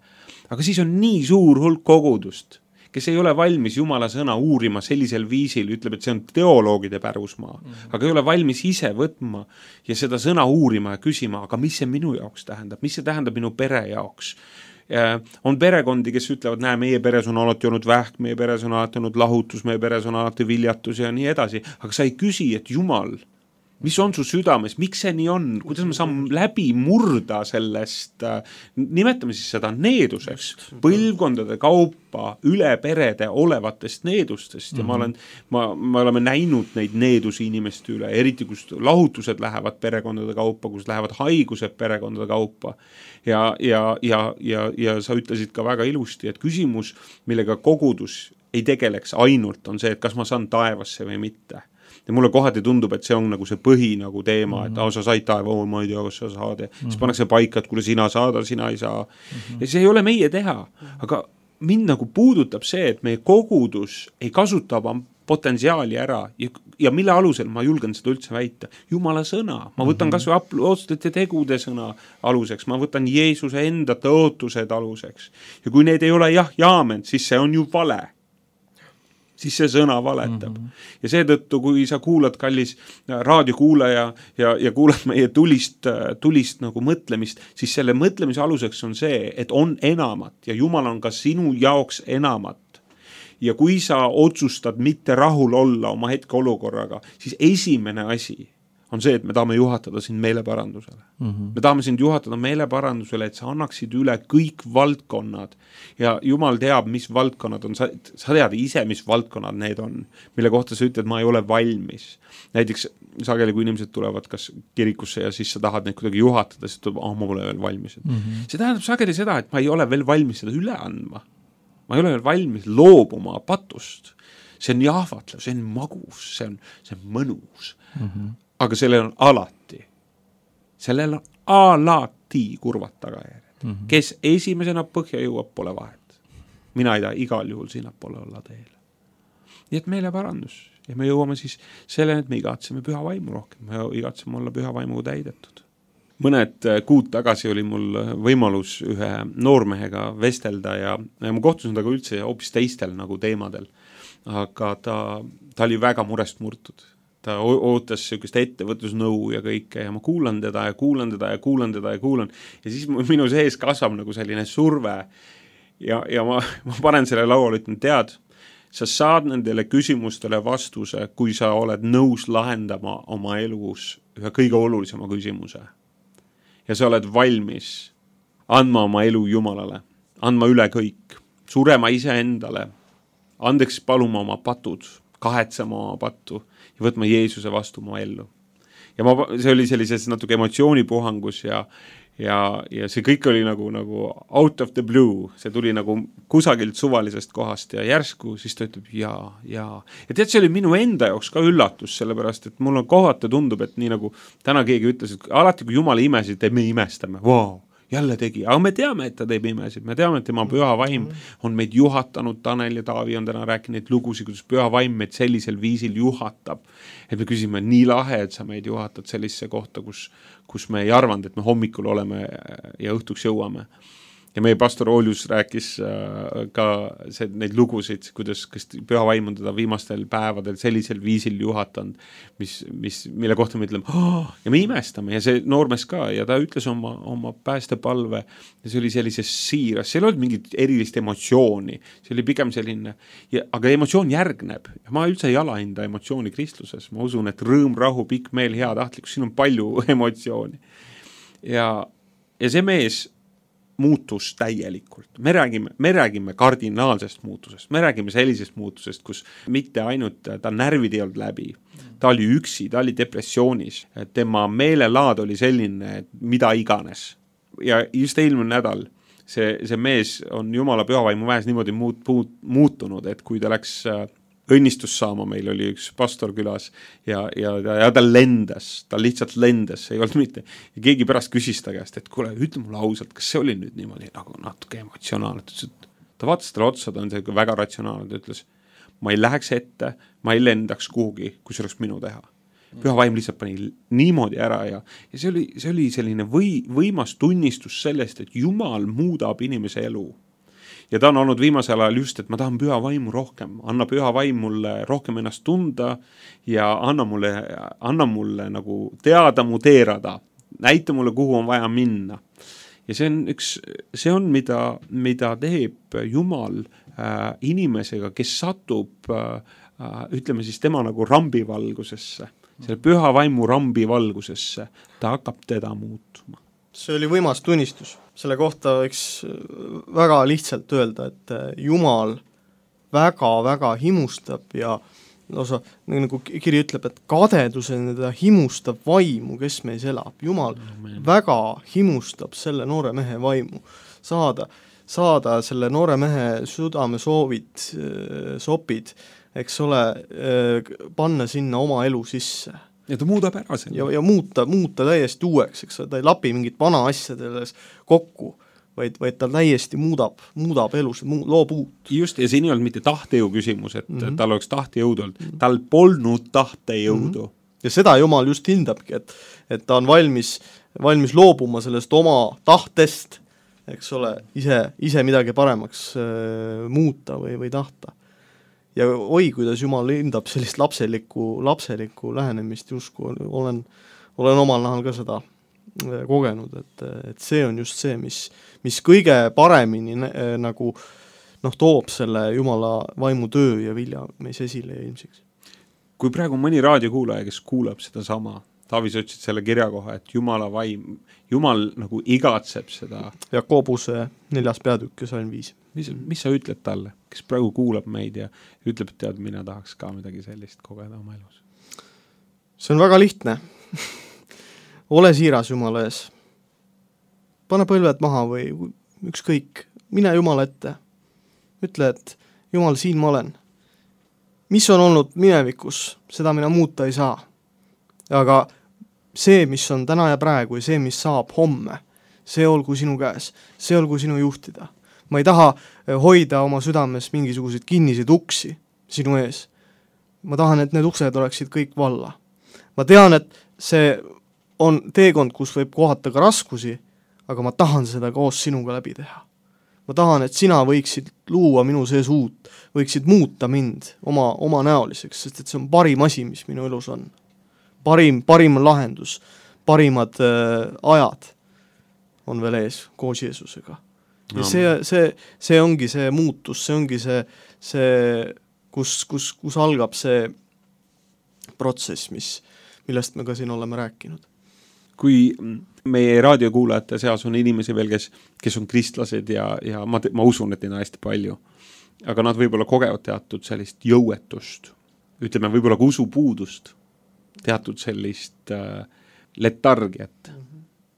Aga siis on nii suur hulk kogudust, kes ei ole valmis Jumala sõna uurima sellisel viisil, ütleb, et see on teoloogide pärusmaa, aga ei ole valmis ise võtma ja seda sõna uurima ja küsima, aga mis see minu jaoks tähendab, mis see tähendab minu pere jaoks. On perekondi, kes ütlevad, näe, meie peres on alati olnud vähk, meie peres on alati olnud lahutus, meie peres on alati viljatus ja nii edasi, aga sa ei küsi, et Jumal, mis on su südames, miks see nii on, kuidas me saame läbi murda sellest, nimetame siis seda needuseks, põlvkondade kaupa üle perede olevatest needustest ja me oleme näinud neid needusi inimeste üle, eriti kus lahutused lähevad perekondade kaupa, kus lähevad haigused perekondade kaupa ja sa ütlesid ka väga ilusti, et küsimus, millega kogudus ei tegeleks ainult, on see, et kas ma saan taevasse või mitte. Ja mulle kohati tundub, et see on nagu see põhi nagu teema, et sa said taeva, ma ei tea, kas sa saad. Siis pannakse paika, et kuule sina saada, sina ei saa. Ja see ei ole meie teha, aga mind nagu puudutab see, et meie kogudus ei kasuta oma potentsiaali ära ja mille alusel ma julgen seda üldse väita. Jumala sõna, ma võtan kas või apostolite tegude sõna aluseks, ma võtan Jeesuse enda tõotused aluseks. Ja kui need ei ole jaamen, siis see on ju vale. Siis see sõna valetab. Ja seetõttu, kui sa kuulad, kallis raadiokuulaja ja kuulad meie tulist nagu mõtlemist, siis selle mõtlemise aluseks on see, et on enamat ja Jumal on ka sinu jaoks enamat. Ja kui sa otsustad mitte rahul olla oma hetke olukorraga, siis esimene asi on see, et me tahame juhatada sind meeleparandusele. Me tahame sind juhatada meeleparandusele, et sa annaksid üle kõik valdkonnad ja Jumal teab, mis valdkonnad on, sa tead ise, mis valdkonnad need on, mille kohta sa ütled, ma ei ole valmis. Näiteks sageli, kui inimesed tulevad kas kirikusse ja siis sa tahad neid kuidagi juhatada, siis tuleb, ma pole veel valmis. See tähendab sageli seda, et ma ei ole veel valmis seda üle andma. Ma ei ole veel valmis loobuma patust. See on jahvatlev, see on magus, see on mõnus. Aga sellel on alati kurvad tagajärjed. Kes esimesena põhja jõuab, pole vahet. Mina ei taha igal juhul sinna pole olla teele. Nii et meile parandus. Ja me jõuame siis selleni, et me igatseme püha vaimu rohkem. Me igatseme olla püha vaimu täidetud. Mõned kuud tagasi oli mul võimalus ühe noormehega vestelda ja ma kohtusin taga üldse hoopis teistel nagu teemadel. Aga ta oli väga murest murtud. Ta ootas sellist ettevõtlusnõu ja kõike ja ma kuulan teda. Ja siis minu sees kasvab nagu selline surve ja ma panen selle lauale, ütlen, tead, sa saad nendele küsimustele vastuse, kui sa oled nõus lahendama oma elus ühe kõige olulisema küsimuse. Ja sa oled valmis andma oma elu Jumalale, andma üle kõik, surema ise endale, andeks paluma oma patud, kahetsema oma pattu ja võtma Jeesuse vastu oma ellu. Ja see oli sellises natuke emotsioonipuhangus ja ja see kõik oli nagu out of the blue, see tuli nagu kusagilt suvalisest kohast ja järsku siis ta ütleb ja tead, see oli minu enda jaoks ka üllatus, sellepärast et mul on kohati tundub, et nii nagu täna keegi ütles, et alati kui Jumala imesid teeb, me imestame, vau, jälle tegi, aga me teame, et ta teeb imesid, me teame, et tema püha vaim on meid juhatanud, Tanel ja Taavi on täna rääkinud lugusid, kuidas püha vaim meid sellisel viisil juhatab, et me küsime, nii lahe, et sa meid juhatad sellisesse kohta, kus me ei arvanud, et me hommikul oleme ja õhtuks jõuame. Ja meie pastor Oljus rääkis ka neid lugusid, kuidas püha vaim on teda viimastel päevadel sellisel viisil juhatanud, mille kohta me ütleme, ja me imestame ja see noormees ka ja ta ütles oma päästepalve ja see oli sellises siiras, seal ei olnud mingit erilist emotsiooni, see oli pigem selline, aga emotsioon järgneb ja ma üldse ei alahinda emotsiooni kristluses, ma usun, et rõõm, rahu, pikk meel, hea tahtlikkus, siin on palju emotsiooni ja see mees muutus täielikult. Me räägime kardinaalsest muutusest. Me räägime sellisest muutusest, kus mitte ainult ta närvid ei olnud läbi. Ta oli üksi, ta oli depressioonis. Tema meelelaad oli selline, mida iganes. Ja just eelmine nädal see mees on Jumala pühavaimu väes niimoodi muutunud, et kui ta läks õnnistus saama, meil oli üks pastor külas ja ta lendas, ta lihtsalt lendas, ei olnud mitte. Ja keegi pärast küsis ta käest, et kuule, ütle mulle ausalt, kas see oli nüüd niimoodi nagu natuke emotsionaalne? Ta vaatas talle otsa, ta on väga ratsionaalne, ta ütles, ma ei läheks ette, ma ei lendaks kuhugi, kui see oleks minu teha. Püha vaim lihtsalt pani niimoodi ära ja see oli selline võimas tunnistus sellest, et Jumal muudab inimese elu. Ja ta on olnud viimasel ajal just, et ma tahan püha vaimu rohkem, anna püha vaim mulle rohkem ennast tunda ja anna mulle nagu teada mu teerada, näita mulle, kuhu on vaja minna. Ja see on mida teeb Jumal inimesega, kes satub, ütleme siis tema nagu rambivalgusesse, selle püha vaimu rambivalgusesse, ta hakkab teda muutuma. See oli võimas tunnistus. Selle kohta võiks väga lihtsalt öelda, et Jumal väga-väga himustab ja lausa, nagu kiri ütleb, et kadedusena ta himustab vaimu, kes meis elab. Jumal väga himustab selle noore mehe vaimu. Saada selle noore mehe südame sopid, eks ole, panna sinna oma elu sisse. Ja ta muudab ära selle. Ja muuta täiesti uueks, eks ta ei lapi mingit vana asjades kokku, vaid ta täiesti muudab elus, loob uut. Just, ja siin ei olnud mitte tahtejõu küsimus, et tal oleks tahtejõudu olnud. Tal polnud tahtejõudu. Ja seda Jumal just hindabki, et ta on valmis loobuma sellest oma tahtest, eks ole, ise midagi paremaks muuta või tahta. Ja kuidas Jumal hindab sellist lapselikku lähenemist, justkui olen omal nahal ka seda kogenud, et see on just see, mis kõige paremini nagu toob selle Jumala vaimu töö ja vilja meis esile ja ilmsiks. Kui praegu mõni raadiokuulaja, kes kuulab seda sama, Taavi sa ütlesid selle kirja koha, et Jumal nagu igatseb seda. Jakobuse 4. peatükk ja salm 5. Mis sa ütled talle, kes praegu kuulab meid ja ütleb, et tead, mina tahaks ka midagi sellist kogeda oma elus? See on väga lihtne. Ole siiras Jumala ees. Pane põlved maha või ükskõik, mine Jumala ette. Ütle, et Jumal, siin ma olen. Mis on olnud minevikus, seda mina muuta ei saa. Aga see, mis on täna ja praegu ja see, mis saab homme, see olgu sinu käes, see olgu sinu juhtida. Ma ei taha hoida oma südames mingisuguseid kinniseid uksi sinu ees. Ma tahan, et need uksed oleksid kõik valla. Ma tean, et see on teekond, kus võib kohata ka raskusi, aga ma tahan seda koos sinuga läbi teha. Ma tahan, et sina võiksid luua minu sees uut, võiksid muuta mind oma näoliseks, sest et see on parim asi, mis minu elus on. Parim lahendus, parimad ajad on veel ees koos Jeesusega. Ja see ongi see muutus, see ongi see kus algab see protsess, millest me ka siin oleme rääkinud. Kui meie raadiokuulajate seas on inimesi veel, kes on kristlased ja ma usun, et neid on hästi palju, aga nad võib-olla kogevad teatud sellist jõuetust, ütleme võib-olla ka usupuudust, teatud sellist letargiat,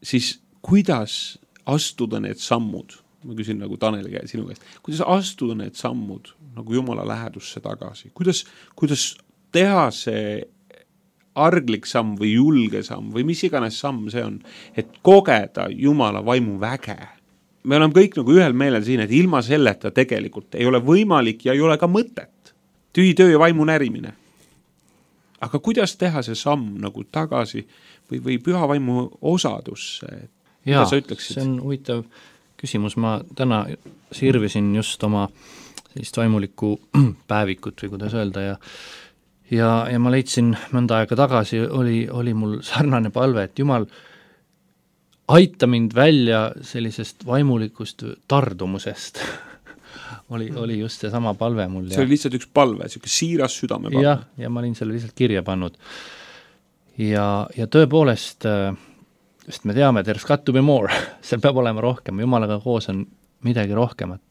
siis kuidas astuda need sammud, ma küsin nagu Tanel sinu käest, kuidas astuda need sammud nagu Jumala lähedusse tagasi, kuidas teha see arglik samm või julge samm või mis iganes samm see on, et kogeda Jumala vaimu väge. Me oleme kõik nagu ühel meelel siin, et ilma selleta tegelikult ei ole võimalik ja ei ole ka mõtet. Tühi töö ja vaimu närimine. Aga kuidas teha see samm nagu tagasi või püha vaimu osadusse? Jaa, see on huvitav küsimus. Ma täna sirvisin just oma sellist vaimulikku päevikut või kuidas öelda ja ma leidsin mõnda aega tagasi, oli mul sarnane palve, et Jumal, aita mind välja sellisest vaimulikust tardumusest. oli just see sama palve mul. See oli lihtsalt üks palve, selline siiras südame palve. Ja ma olin selle lihtsalt kirja pannud. Ja tõepoolest, sest me teame, there's got to be more, seal peab olema rohkem, Jumalaga koos on midagi rohkemat.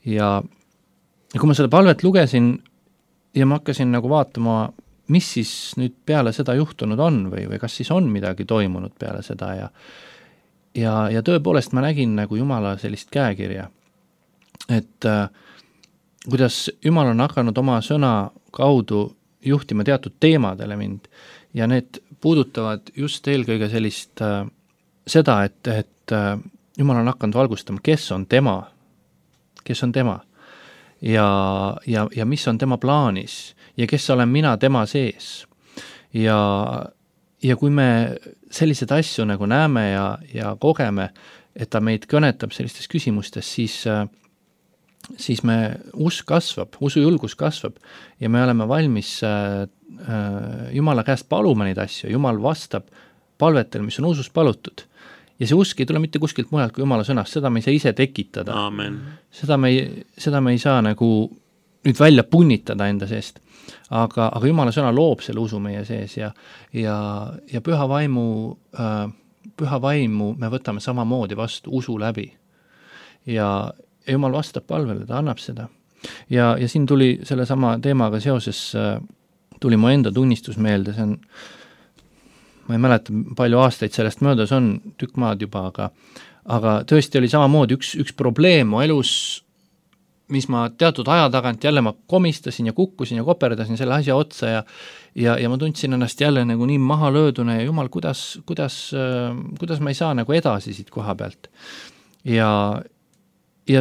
Ja kui ma seda palvet lugesin ja ma hakkasin nagu vaatama, mis siis nüüd peale seda juhtunud on või kas siis on midagi toimunud peale seda ja tõepoolest ma nägin nagu Jumala sellist käekirja, et kuidas Jumal on hakanud oma sõna kaudu juhtima teatud teemadele mind ja need puudutavad just eelkõige sellist seda, et Jumal on hakanud valgustama, kes on tema ja mis on tema plaanis ja kes olen mina tema sees. Ja kui me sellised asju nagu näeme ja kogeme, et ta meid kõnetab sellistes küsimustes, siis me usk kasvab, usujulgus kasvab ja me oleme valmis Jumala käest paluma neid asju. Jumal vastab palvetel, mis on usus palutud. Ja see usk ei tule mitte kuskilt mujalt kui Jumala sõnast, seda me ei saa ise tekitada. Amen. Seda me ei saa nagu nüüd välja punnitada enda seest. Aga Jumala sõna loob selle usu meie sees ja püha vaimu me võtame samamoodi vastu usu läbi. Ja Jumal vastab palvele, ta annab seda. Ja siin tuli selle sama teemaga seoses, tuli mu enda tunnistus meelde, see on ma ei mäleta, palju aastaid sellest möödas on, tükk maad juba, aga tõesti oli samamoodi üks probleem mu elus, mis ma teatud aja tagant jälle ma komistasin ja kukkusin ja koperdasin selle asja otsa ja ma tundsin ennast jälle nagu nii maha löödune ja Jumal, kuidas ma ei saa nagu edasi siit koha pealt. Ja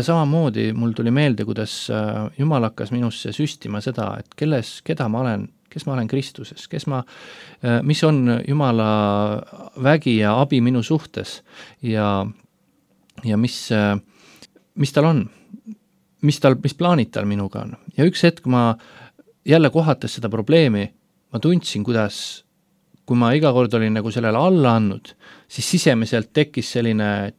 samamoodi mul tuli meelde, kuidas Jumal hakkas minusse süstima seda, et kes ma olen Kristuses, mis on Jumala vägi ja abi minu suhtes ja mis tal on, mis plaanid tal minuga on. Ja üks hetk ma jälle kohates seda probleemi, ma tundsin, kuidas, kui ma iga kord olin nagu sellele alla andnud, siis sisemiselt tekkis selline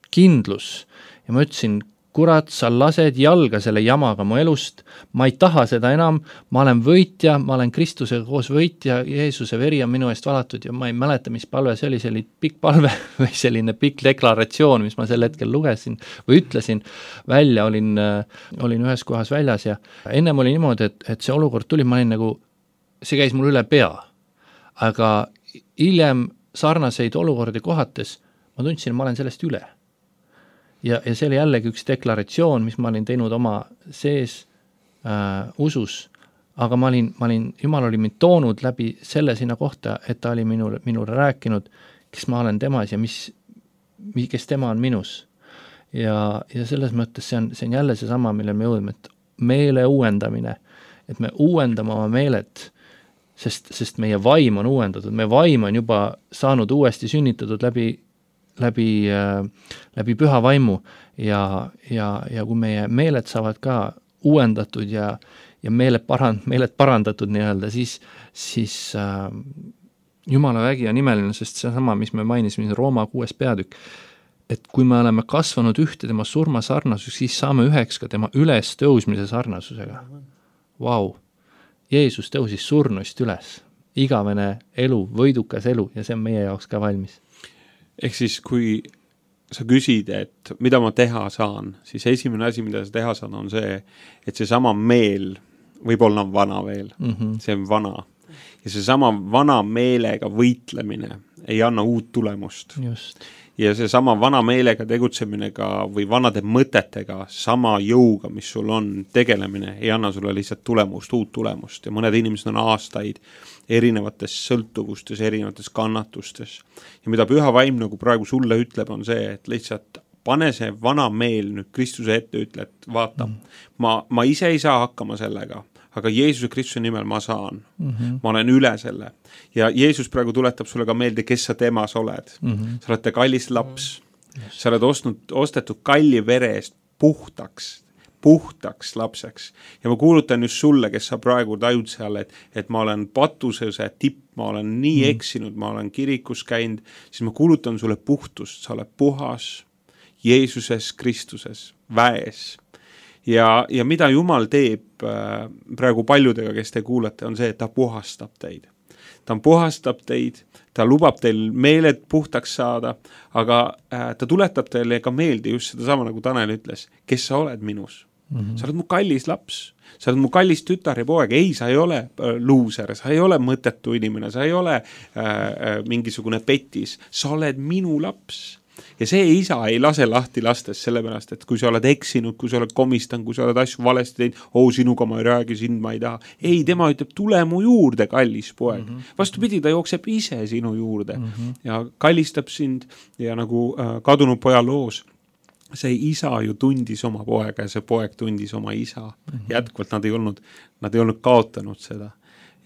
kindlus ja ma ütlesin, kurat, sa lased jalga selle jamaga mu elust, ma ei taha seda enam, ma olen võitja, ma olen Kristusega koos võitja, Jeesuse veri on minu eest valatud ja ma ei mäleta, mis palve see oli, selline pikk palve või selline pikk deklaratsioon, mis ma sel hetkel lugesin või ütlesin välja, olin ühes kohas väljas ja ennem oli niimoodi, et see olukord tuli, ma olin nagu, see käis mul üle pea, aga hiljem sarnaseid olukordi kohates ma tundsin, ma olen sellest üle. Ja see oli jällegi üks deklaratsioon, mis ma olin teinud oma sees usus, aga Jumal oli mind toonud läbi selle sinna kohta, et ta oli minule rääkinud, kes ma olen temas ja kes tema on minus. Ja selles mõttes see on jälle see sama, mille me jõudme, et meele uuendamine, et me uuendame oma meelet, sest meie vaim on uuendatud, meie vaim on juba saanud uuesti sünnitatud läbi püha vaimu ja kui meie meeled saavad ka uuendatud ja meeled parandatud nii-öelda, siis Jumala vägi on imeline, sest see sama, mis me mainisime, Rooma 6. peatükk, et kui me oleme kasvanud ühte tema surma sarnasus, siis saame üheks ka tema üles tõusmise sarnasusega. Vau! Jeesus tõusis surnuist üles. Igavene elu, võidukas elu ja see on meie jaoks ka valmis. Ehk siis, kui sa küsid, et mida ma teha saan, siis esimene asi, mida sa teha saan, on see, et see sama meel, võib-olla on vana veel, see on vana. Ja see sama vana meelega võitlemine ei anna uut tulemust. Just. Ja see sama vana meelega tegutseminega või vanade mõtetega, sama jõuga, mis sul on tegelemine, ei anna sulle lihtsalt tulemust, uut tulemust ja mõned inimesed on aastaid erinevates sõltuvustes, erinevates kannatustes. Ja mida Püha Vaim nagu praegu sulle ütleb, on see, et lihtsalt pane see vana meel nüüd Kristuse ette, ütle, et vaata, ma ise ei saa hakkama sellega, aga Jeesuse Kristuse nimel ma saan. Ma olen üle selle. Ja Jeesus praegu tuletab sulle ka meelde, kes sa temas oled. Sa oled kallis laps. Sa oled ostetud kalli vere eest puhtaks lapseks. Ja ma kuulutan just sulle, kes sa praegu tajud seal, et ma olen patusese tipp, ma olen nii eksinud, ma olen kirikus käinud, siis ma kuulutan sulle puhtust, sa oled puhas Jeesuses Kristuses, väes. Ja mida Jumal teeb praegu paljudega, kes te kuulate, on see, et ta puhastab teid. Ta puhastab teid, ta lubab teil meeled puhtaks saada, aga ta tuletab teile ka meelde just seda sama, nagu Tanel ütles, kes sa oled minus. Sa oled mu kallis laps, sa oled mu kallis tütar ja poeg, ei, sa ei ole luuser, sa ei ole mõttetu inimene, sa ei ole mingisugune petis, sa oled minu laps. Ja see isa ei lase lahti lastes sellepärast, et kui sa oled eksinud, kui sa oled komistanud, kui sa oled asju valesti teinud, sinuga ma ei räägi, sind ma ei taha. Ei, tema ütleb, tule mu juurde, kallis poeg. Vastupidi, ta jookseb ise sinu juurde ja kallistab sind ja nagu kadunud poja loos. See isa ju tundis oma poega ja see poeg tundis oma isa. Jätkuvalt nad ei olnud kaotanud seda.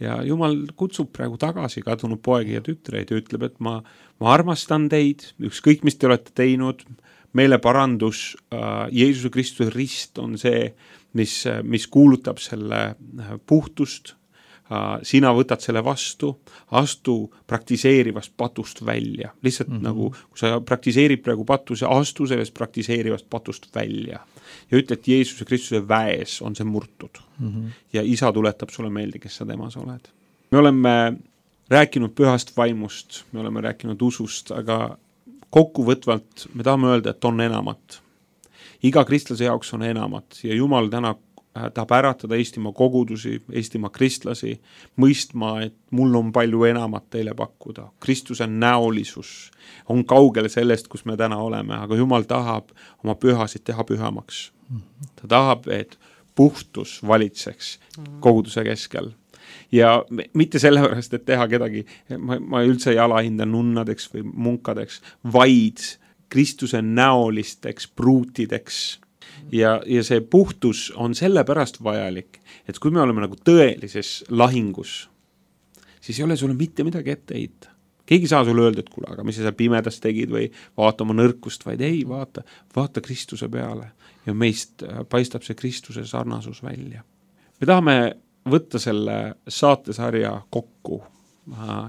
Ja Jumal kutsub praegu tagasi kadunud poegi ja tütreid ja ütleb, et ma armastan teid, ükskõik mis te olete teinud, meile parandus, Jeesuse Kristuse rist on see, mis kuulutab selle puhtust, sina võtad selle vastu, astu praktiseerivast patust välja. Lihtsalt nagu, kui sa praktiseerid praegu patuse, astu sellest praktiseerivast patust välja. Ja ütle, et Jeesuse Kristuse väes on see murtud. Ja isa tuletab sulle meelde, kes sa temas oled. Me oleme rääkinud pühast vaimust, me oleme rääkinud usust, aga kokkuvõtvalt me tahame öelda, et on enamat. Iga kristlase jaoks on enamat ja Jumal täna tahab äratada Eestimaa kogudusi, Eestimaa kristlasi, mõistma, et mul on palju enamat teile pakkuda. Kristuse näolisus on kaugel sellest, kus me täna oleme, aga Jumal tahab oma pühasid teha pühamaks. Ta tahab, et puhtus valitseks koguduse keskel. Ja mitte sellepärast, et teha kedagi, ma üldse ei alahinda nunnadeks või munkadeks, vaid Kristuse näolisteks pruutideks. Ja see puhtus on sellepärast vajalik, et kui me oleme nagu tõelises lahingus, siis ei ole sulle mitte midagi ette heita. Keegi saa sulle öelda, et kuule, aga mis sa seal pimedas tegid või vaata oma nõrkust, vaid ei, vaata Kristuse peale ja meist paistab see Kristuse sarnasus välja. Me tahame võtta selle saatesarja kokku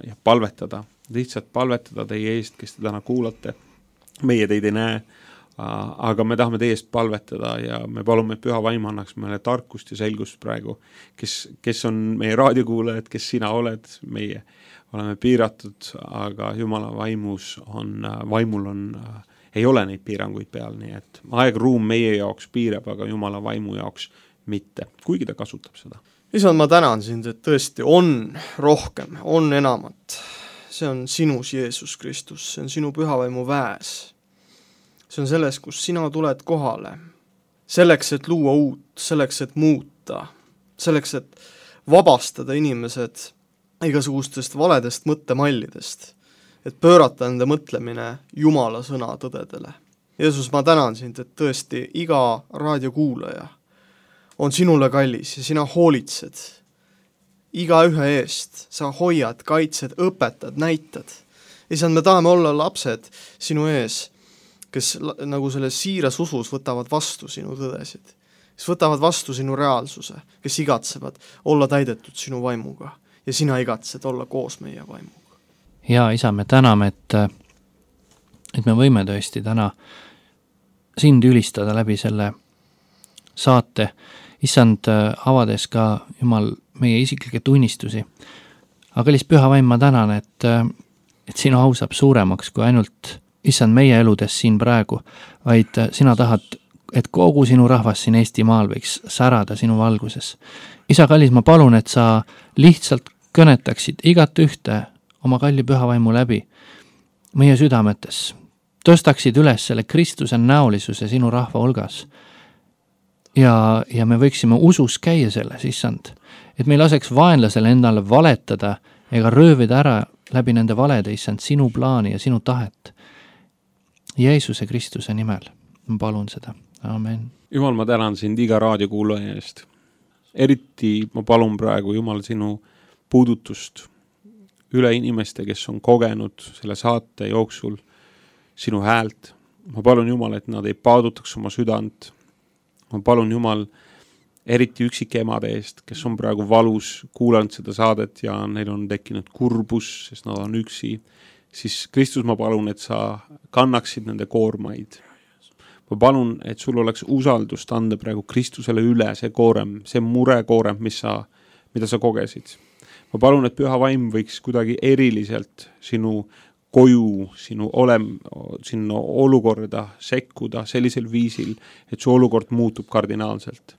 ja palvetada, lihtsalt palvetada teie eest, kes te täna kuulate. Meie teid ei näe, aga me tahame teie eest palvetada ja me palume, et Püha Vaim annaks meile tarkust ja selgust praegu, kes on meie raadiokuulajad, kes sina oled, meie oleme piiratud, aga Jumala vaimul ei ole neid piiranguid peal, nii et aeg-ruum meie jaoks piirab, aga Jumala vaimu jaoks mitte, kuigi ta kasutab seda. Isand, ma tänan sind, et tõesti on rohkem, on enamat. See on sinus, Jeesus Kristus, see on sinu Püha Vaimu väes. See on selles, kus sina tuled kohale. Selleks, et luua uut, selleks, et muuta, selleks, et vabastada inimesed igasugustest valedest mõttemallidest, et pöörata enda mõtlemine Jumala sõna tõdedele. Jeesus, ma tänan sind, et tõesti iga raadiokuulaja on sinule kallis ja sina hoolitsed iga ühe eest, sa hoiad, kaitsed, õpetad, näitad. Isand, me tahame olla lapsed sinu ees, kes nagu selles siiras usus võtavad vastu sinu tõdesid, kes võtavad vastu sinu reaalsuse, kes igatsevad olla täidetud sinu vaimuga ja sina igatsed olla koos meie vaimuga. Ja isa, me täname, et me võime tõesti täna sind ülistada läbi selle saate, issand, avades ka Jumal meie isiklikke tunnistusi. Aga kallis Püha Vaim, ma tänan, et sinu au saab suuremaks kui ainult issand meie eludes siin praegu, vaid sina tahad, et kogu sinu rahvas siin Eestimaal võiks särada sinu valguses. Isa kallis, ma palun, et sa lihtsalt kõnetaksid igat ühte oma kalli püha vaimu läbi meie südametes, tõstaksid üles selle Kristuse näolisuse sinu rahva hulgas. Ja me võiksime usus käia selles, issand, et me ei laseks vaenlasele endale valetada ega röövida ära läbi nende valede, issand, sinu plaani ja sinu tahet. Jeesuse Kristuse nimel ma palun seda. Amen. Jumal, ma tänan sind iga raadiokuulaja eest. Eriti ma palun praegu, Jumal, sinu puudutust üle inimeste, kes on kogenud selle saate jooksul sinu häält. Ma palun, Jumal, et nad ei paadutaks oma südant. Ma palun, Jumal, eriti üksikemade eest, kes on praegu valus kuulanud seda saadet ja neil on tekkinud kurbus, sest nad on üksi. Siis Kristus, ma palun, et sa kannaksid nende koormaid. Ma palun, et sul oleks usaldust anda praegu Kristusele üle see koorem, see murekoorem, mida sa kogesid. Ma palun, et püha vaim võiks kuidagi eriliselt sinu koju, sinu olukorda sekkuda sellisel viisil, et su olukord muutub kardinaalselt.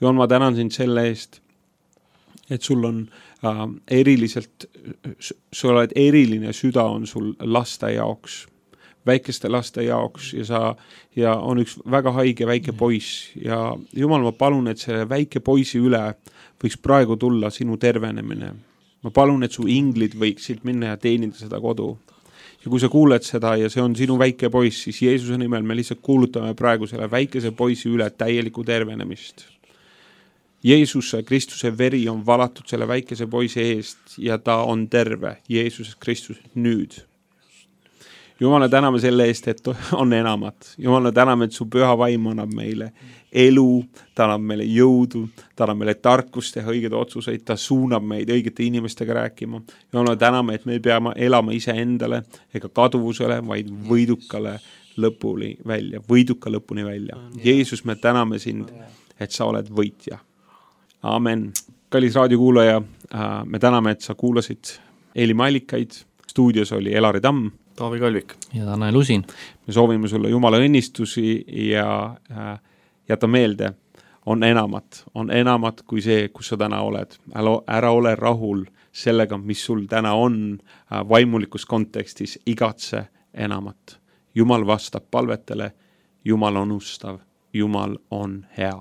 Jumal, ma tänan sind selle eest, et sul on sul oled eriline süda on sul laste jaoks, väikeste laste jaoks ja on üks väga haige väike poiss ja Jumal, ma palun, et selle väike poisi üle võiks praegu tulla sinu tervenemine. Ma palun, et su inglid võiksid minna ja teenida seda kodu. Ja kui sa kuuled seda ja see on sinu väike poiss, siis Jeesuse nimel me lihtsalt kuulutame praegu selle väikese poisi üle täielikku tervenemist. Jeesuse Kristuse veri on valatud selle väikese poisi eest ja ta on terve. Jeesus Kristus nüüd. Jumala täname selle eest, et on enamat. Jumala täname, et su püha vaim annab meile elu, ta annab meile jõudu, ta annab meile tarkust teha õigeid otsuseid, ta suunab meid õigete inimestega rääkima. Jumala täname, et me peame elama ise endale ega kaduvusele, vaid võiduka lõpuni välja. Jeesus, me täname sind, et sa oled võitja. Amen. Kallis raadiokuulaja, me täname, et sa kuulasid Eelimi allikaid. Stuudios oli Elari Tamm, Taavi Kalvik ja Tanel Usin. Me soovime sulle Jumala õnnistusi ja jäta meelde, on enamat kui see, kus sa täna oled. Ära ole rahul sellega, mis sul täna on vaimulikus kontekstis, igatse enamat. Jumal vastab palvetele, Jumal on ustav, Jumal on hea.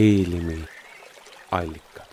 Eelimi allikad.